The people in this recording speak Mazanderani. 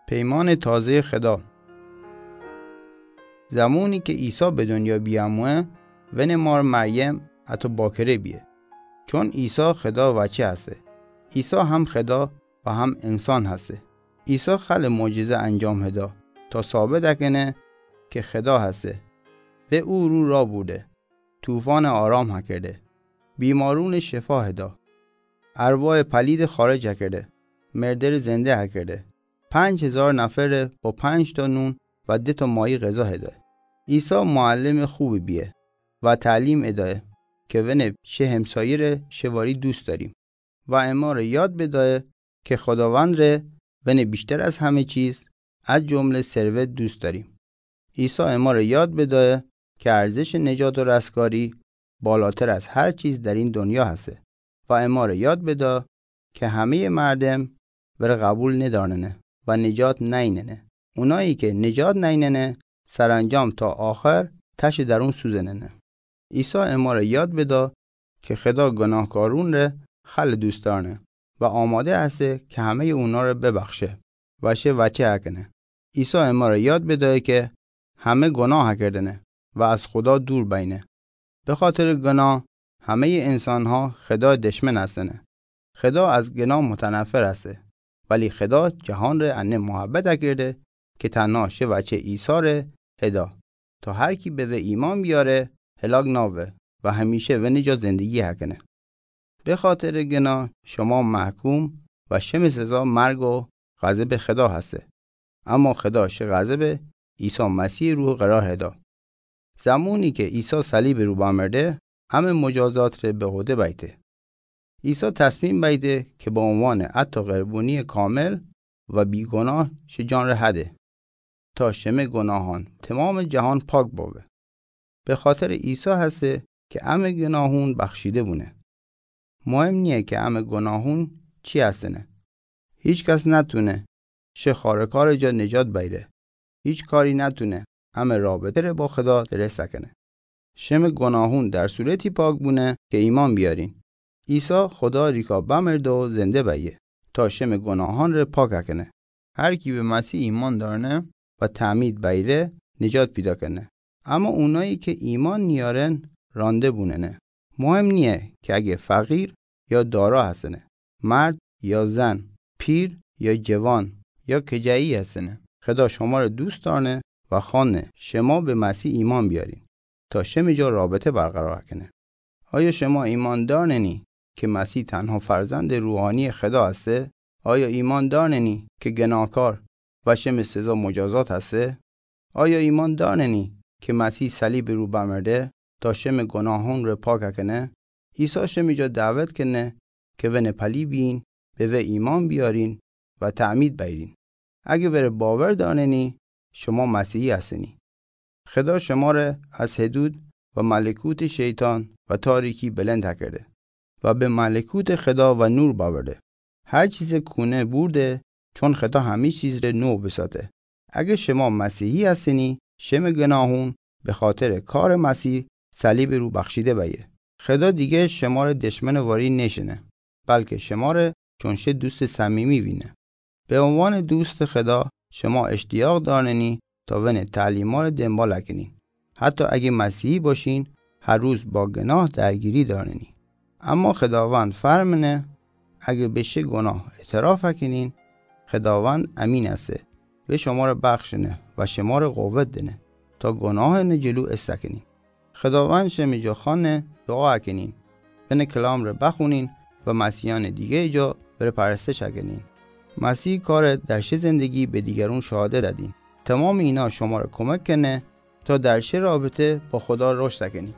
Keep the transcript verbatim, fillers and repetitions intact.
پیمان تازهٔ خدا. زمانی که عیسی به دنیا بیاموه، ون مار مریم اتو باکره بیه. چون عیسی خدا وچه هسه. عیسی هم خدا و هم انسان هسه. عیسی خل معجزه انجام هدا تا ثابت اکنه که خدا هسه. و او رو را بوده. طوفان آرام هکرده. بیمارون شفا هدا. ارواح پلید خارج هکرده. مردر زنده هکرده. پنج هزار نفر با پنج تا نون و ده تا ماهی غذا هده. عیسی معلم خوبی بیه و تعلیم ادایه که ون شه همسایه ره شواری دوست داریم و اما ره یاد بدایه که خداوند ره ون بیشتر از همه چیز، از جمله ثروت، دوست داریم. عیسی اما ره یاد بدایه که ارزش نجات و رستگاری بالاتر از هر چیز در این دنیا هسته و اما ره یاد بدا که همهٔ مردم ور قبول ندارنه و نجات نیننه. اونایی که نجات نیننه، سرانجام تا آخر تش درون سوزننه. عیسی اما ره یاد بدا که خدا گناهکارون ره خل دوست دارنه و آماده هسته که همهٔ اونا ره ببخشه و شه وچه هکنه. عیسی اما ره یاد بدایه که همه گناه کردنه و از خدا دور بینه. به خاطر گناه همهٔ انسان‌ها خدا دشمن هستنه. خدا از گناه متنفر هسته، ولی خدا جهان ره انه محبت کرده که تنها شه وچه عیسی ره هدا، تا هر کی به وی ایمان بیاره هلاک ناوه و همیشه ونی جا زندگی هکنه. به خاطر گناه شما محکوم و شم سزا مرگ و غضب خدا هسته. اما خدا شه غضب عیسی مسیح رو قرار هدا. زمانی که عیسی صلیب رو بمرده، همه مجازات ره به عهده بیته. عیسی تصمیم بیته که به عنوان عطا قربانی کامل و بیگناه شه جان ره هده تا شمه گناهان تمام جهان پاک باوه. به خاطر عیسی هسته که امه گناهون بخشیده بونه. مهم نیه که امه گناهون چی هستنه. هیچ کس نتونه شه خارکار جا نجات بیره. هیچ کاری نتونه امه رابطه ره با خدا درست کنه. شم گناهون در صورتی پاک بونه که ایمان بیارین. عیسی خدا ریکا بمرده و زنده بیه تا شم گناهان ره پاک کنه. هر کی به مسیح ایمان دارنه و تعمید بیره نجات پیدا کنه. اما اونایی که ایمان نیارن رانده بوننه. مهم نیه که اگه فقیر یا دارا هستنه، مرد یا زن، پیر یا جوان یا کجایی هستنه. خدا شما ره دوست دارنه و خوانه شما به مسیح ایمان بیارین تا شم جا رابطه برقرار کنه. آیا شما ایمان دارنی که مسیح تنها فرزند روحانی خدا هسته؟ آیا ایمان دارنی که گناهکار و شم سزا مجازات هسته؟ آیا ایمان دارنی که مسیح صلیب رو بمرده تا شم گناهون ره پاک کنه؟ عیسی شم جا دعوت کنه که ون پلی بین، به و ایمان بیارین و تعمید بیرین. اگه وره باور دارنی، شما مسیحی هستنی. خدا شما ره از حدود و ملکوت شیطان و تاریکی بلند کرده و به ملکوت خدا و نور باورده. هر چیز کونه برده، چون خدا همه چیز ره نو بساته. اگه شما مسیحی هستنی، شم گناهون به خاطر کار مسیح صلیب رو بخشیده بیه. خدا دیگه شما ره دشمن واری نشنه، بلکه شما ره چون شه دوست صمیمی وینه. به عنوان دوست خدا شما اشتیاق دارنی تا ون تعلیما ره دنبال کنین. حتی اگه مسیحی باشین، هر روز با گناه درگیری دارنی. اما خداوند فرمنه، اگه به شه گناه اعتراف کنین، خداوند امین است و شما ره بخشنه و شما ره قوت دنه تا گناهان جلو است کنین. خداوند شم جا خوانه دعا کنین، ون کلام ره بخونین و مسیحان دیگه جا وره پرستش کنین. مسیح کار در شه زندگی به دیگرون شهادت دین. تمام اینا شما ره کمک کنه تا در شه رابطه با خدا رشد کنین.